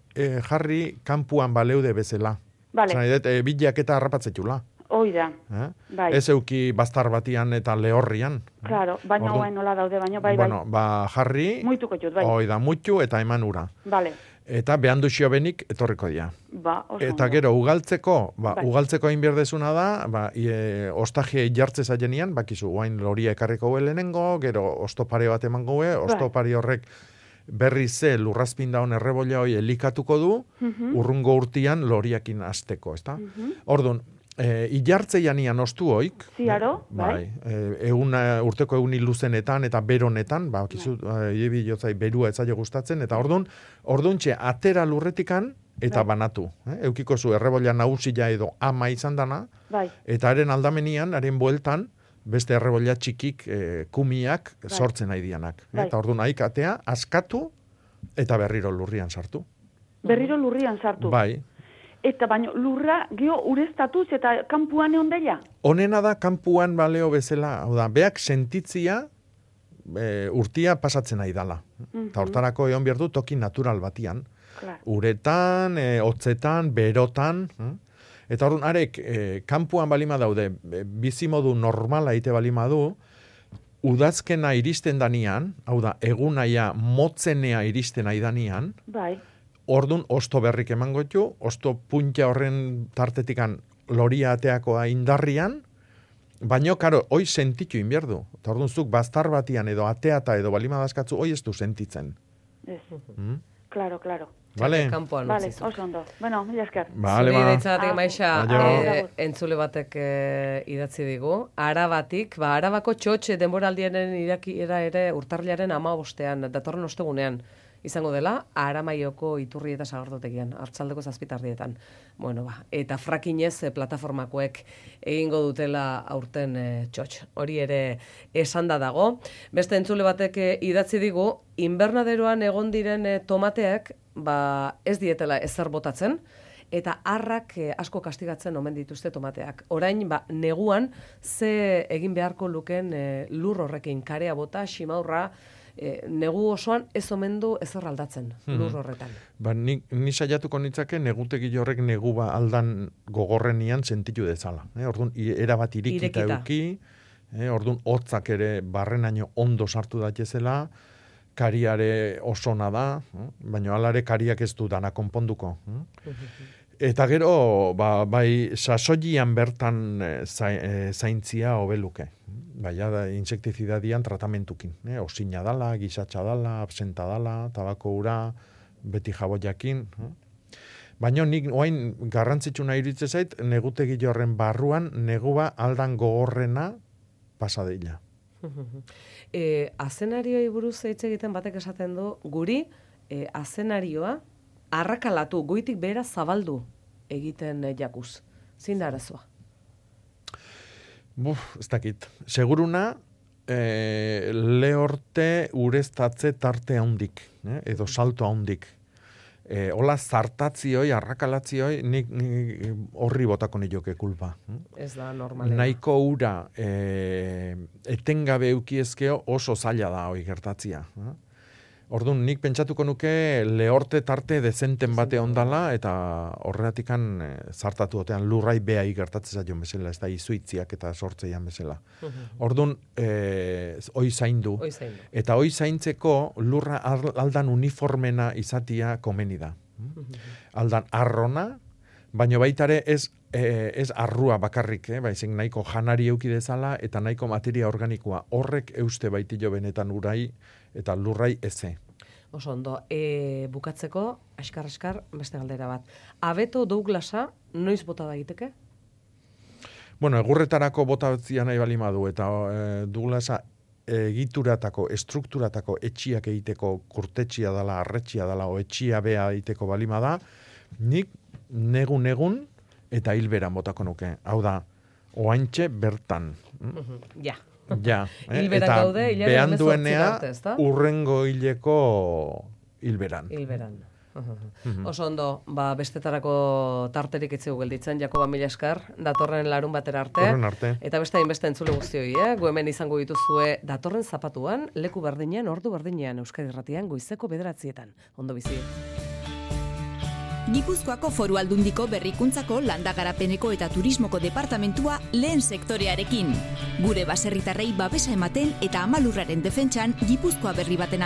jarri kanpuan baleude bezala. Vale. Zan nahi dut, bilak eta harrapatzetula. Hoi da. Bai. Ez euki bastar batian eta lehorrian. Claro, baina nola daude, baina bai. Bueno, jarri, muituko jut, bai. Hoi da, muitu eta eman ura. Vale. Eta behandu xiobenik etorriko dira. Eta gero, ugaltzeko egin berdezuna da, ostaje jartze zailenian, bakizu, guain loria ekarriko lehenengo, gero ostopare bat eman goe, ostopari horrek berri ze lurrazpinda hon errebolla hoi elikatuko du, urrungo urtian loriakin azteko, ezta? Orduan, ilartze janian ostu hoik, bai. Urteko egun luzenetan eta beronetan, jotzai berua etzaio gustatzen, eta orduan txe, atera lurretikan eta banatu. Eukiko zu errebolla nagusia edo ama izan dana, eta haren aldamenian, haren bueltan, beste errebolla txikik kumiak sortzen nahi dianak. Eta orduan haik atea, askatu eta berriro lurrian sartu. Berriro lurrian sartu? Bai. Eta baino lurra geho ureztatuz eta kanpuan egon dela? Honena da kanpuan baleo bezala, hau da, beak sentitzia urtia pasatzen nahi dala. Eta hortarako egon behar du toki natural batian. Uretan, hotzetan, berotan. Eta orduan, arek, kanpuan balima daude, bizimodu normala ite balima du, udazkena iristen danian, hau da, egunaia motzenea iristen nahi danian, bai. Ordun osto berrik emango ditu, osto puntia horren tartetikan loria ateakoa indarrian, baino, karo, hoi sentitu inbierdu. Eta orduan zuk bastar batian edo ateata edo balima dazkatzu, hoi ez du sentitzen. Ez. Claro. Vale. Vale, oso ondo. Bueno, mila esker. Vale, entzule batek idatzi digu. Arabatik, Arabako txotxe denboraldiaren irakiera ere urtarrilaren 15ean, datorren ostegunean. Izango dela, Aramaioko iturri eta sagardotegian, hartzaldeko 7:00. Bueno, eta frakinez plataformakoek egingo dutela aurten txotx. Hori ere esanda dago. Beste entzule batek idatzi digu, inbernaderoan egon diren tomateak, ez dietela ezer botatzen, eta harrak asko kastigatzen omen dituzte tomateak. Orain, neguan, ze egin beharko luken lur horrekin, karea bota, ximaurra, negu osoan ez omen du ezer aldatzen lur horretan. Ni saiatuko nitzake negutegi horrek negu aldan gogorrenian sentitu dezala. Orduan, erabat irikita euki, orduan, hotzak ere barrenaino ondo sartu daitezela, kariare osona da, baina alare kariak ez du dana konponduko. Eta gero, bai, sasoian bertan zaintzia hobeluke. Baina da, insektizidadian tratamentukin. Osina dala, gizatxa dala, absenta dala, tabako ura, beti jaboiakin. Baina nik oain garrantzitsuna iritze zait, negutegi horren barruan, negua aldan gogorrena pasadeila. Azenarioi buruz hitz egiten batek esaten du, guri azenarioa arrakalatu, goitik behera zabaldu egiten jakuz. Zein da arazoa? Ez dakit. Seguruna, lehorte ureztatze tarte handik, edo salto handik. Hola zartatzioi, arrakalatzioi, nik horri botako nioke kulpa. Ez da normalena. Nahiko ura etengabe eukiezkeo oso zaila da hoi gertatzia. Orduan, nik pentsatuko nuke lehorte tarte dezenten bate ondala, eta horreatikan zartatu otean lurrai behai gertatzea joan bezala, ez da izuitziak eta sortzeian bezala. Orduan, hoi zaindu. Eta hoi zaintzeko lurra aldan uniformena izatia komeni da. Aldan arrona, baina baitare ez arrua bakarrik, baizik nahiko janari euki dezala eta nahiko materia organikoa. Horrek euste baitio benetan urai eta lurrai eze. Oso ondo, bukatzeko, askar, beste galdera bat. Abeto Douglasa, noiz bota da egiteke? Bueno, egurretarako bota batzia nahi balima du, eta Douglasa egituratako, estrukturatako etxiak egiteko kurtetxia dela, arretxia dela, o etxia bea egiteko balima da, nik negun eta hilberan botako nuke. Hau da, oaintxe bertan. Ja. Ja, hilberan gaude, behan duenea urrengo hileko hilberan. Oso ondo, bestetarako tarterik etzeu gelditzen, Jakoba, mila esker, datorren larun batera arte. Eta beste hainbeste entzule guztioi, gu hemen izango dituzue datorren zapatuan, leku berdinean, ordu berdinean, Euskadi Irratian, goizeko 9:00. Ondo bizi. Gipuzkoako Foru Aldundiko Berrikuntzako, Landagarapeneko eta Turismoko Departamentua lehen sektorearekin. Gure baserritarrei babesa ematen eta amalurraren defentsan Gipuzkoa berri baten